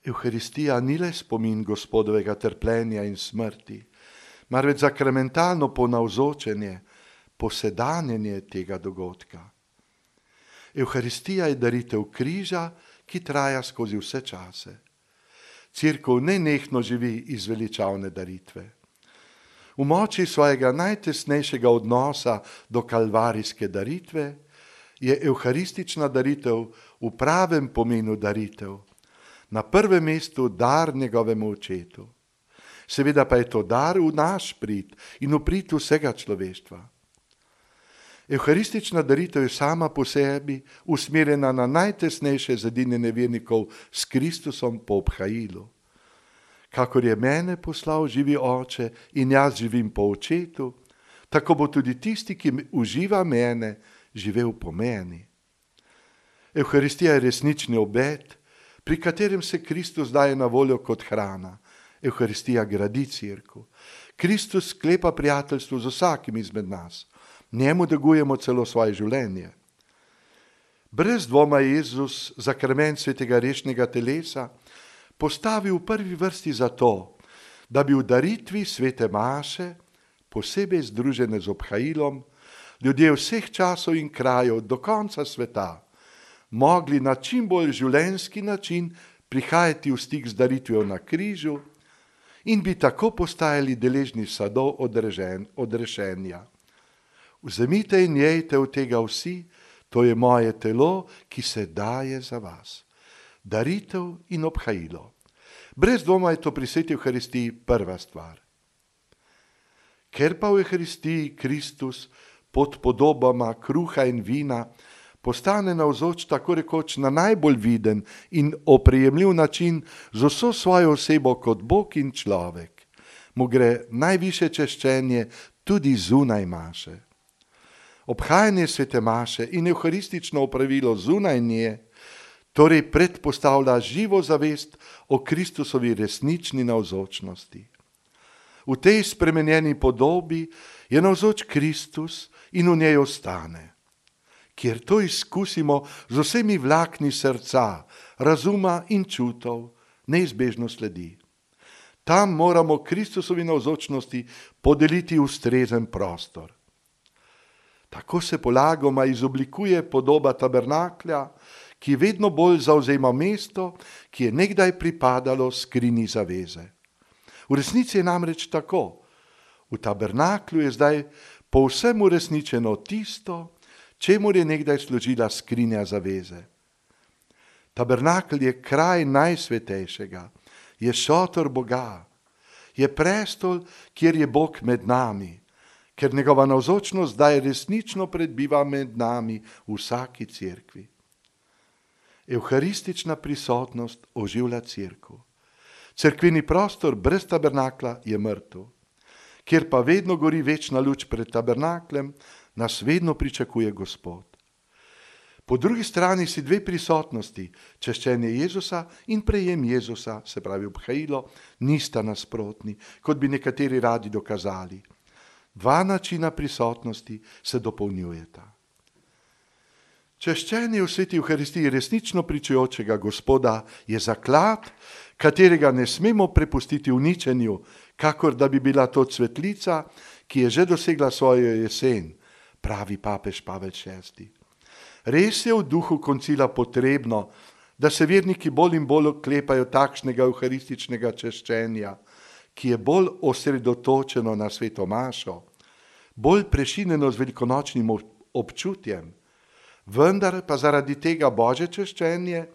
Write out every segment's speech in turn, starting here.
Evharistija ni le spomin Gospodovega trpljenja in smrti, marveč sakramentalno ponavzočenje, posedanjenje tega dogodka. Evharistija je daritev križa, ki traja skozi vse čase. Cerkev nenehno živi iz veličavne daritve. V moči svojega najtesnejšega odnosa do kalvarijske daritve je evharistična daritev v pravem pomenu daritev, na prvem mestu dar njegovemu očetu. Seveda pa je to dar v naš prid in v prid vsega človeštva. Evharistična daritev je sama po sebi usmerjena na najtesnejše zedinjenje vernikov s Kristusom po obhajilu. Kakor je mene poslal živi Oče in jaz živim po očetu, tako bo tudi tisti, ki uživa mene, živel po meni. Evharistija je resnični obet, pri katerem se Kristus daje na voljo kot hrana. Evharistija gradi cerkev. Kristus sklepa prijateljstvo z vsakim izmed nas. Njemu dagujemo celo svoje življenje. Brez dvoma je Jezus zakrament svetega rešnega telesa postavil v prvi vrsti zato, da bi v daritvi svete maše, posebej združene z obhajilom, ljudje vseh časov in krajev do konca sveta mogli na čim bolj življenjski način prihajati v stik z daritvijo na križu in bi tako postajali deležni sadov odrešenja. Vzemite in jejte od tega vsi, to je moje telo, ki se daje za vas. Daritev in obhajilo. Brez dvoma je to pri sveti Evharistiji prva stvar. Ker pa v Evharistiji Kristus pod podobama kruha in vina postane navzoč tako rekoč na najbolj viden in oprijemljiv način z vso svojo osebo kot Bog in človek, mu gre najvišje češčenje tudi zunaj maše. Obhajanje svete maše in evharistično opravilo zunaj nje torej predpostavlja živo zavest o Kristusovi resnični navzočnosti. V tej spremenjeni podobi je navzoč Kristus in v njej ostane. Kjer to izkusimo z vsemi vlakni srca, razuma in čutov, neizbežno sledi. Tam moramo Kristusovi navzočnosti podeliti ustrezen prostor. Tako se polagoma izoblikuje podoba tabernaklja, ki vedno bolj zavzema mesto, ki je nekdaj pripadalo skrinji zaveze. V resnici je namreč tako. V tabernaklju je zdaj povsem uresničeno tisto, čemur je nekdaj služila skrinja zaveze. Tabernakelj je kraj najsvetejšega, je šotor Boga, je prestol, kjer je Bog med nami, ker njegova navzočnost zdaj resnično predbiva med nami v vsaki cerkvi. Evharistična prisotnost oživlja cerkev. Cerkveni prostor brez tabernakla je mrtev. Kjer pa vedno gori večna luč pred tabernaklem, nas vedno pričakuje Gospod. Po drugi strani si dve prisotnosti, češčenje Jezusa in prejem Jezusa, se pravi obhajilo, nista nasprotni, kot bi nekateri radi dokazali. Dva načina prisotnosti se dopolnjujeta. Češčenje v sveti Evharistiji resnično pričujočega Gospoda je zaklad, katerega ne smemo prepustiti uničenju, kakor da bi bila to cvetlica, ki je že dosegla svojo jesen, pravi papež Pavel VI. Res je v duhu koncila potrebno, da se verniki bolj in bolj oklepajo takšnega evharističnega češčenja, ki je bolj osredotočeno na sveto mašo, bolj prešinjeno z velikonočnim občutjem, vendar pa zaradi tega Božje češčenje,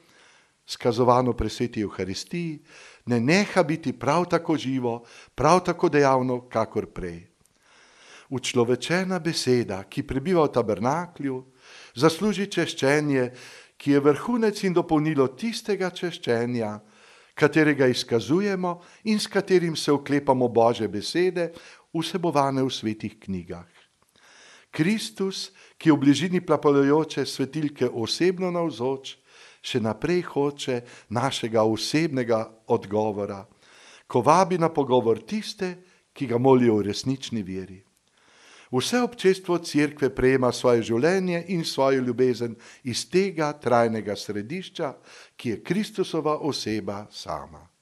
skazovano pri sveti Evharistiji, ne neha biti prav tako živo, prav tako dejavno, kakor prej. Učlovečena beseda, ki prebiva v tabernaklju, zasluži češčenje, ki je vrhunec in dopolnilo tistega češčenja, katerega izkazujemo in s katerim se oklepamo Božje besede, vsebovane v svetih knjigah. Kristus, ki v bližini plapolajoče svetilke osebno navzoč, še naprej hoče našega osebnega odgovora, ko vabi na pogovor tiste, ki ga molijo v resnični veri. Vse občestvo Cerkve prejema svoje življenje in svojo ljubezen iz tega trajnega središča, ki je Kristusova oseba sama.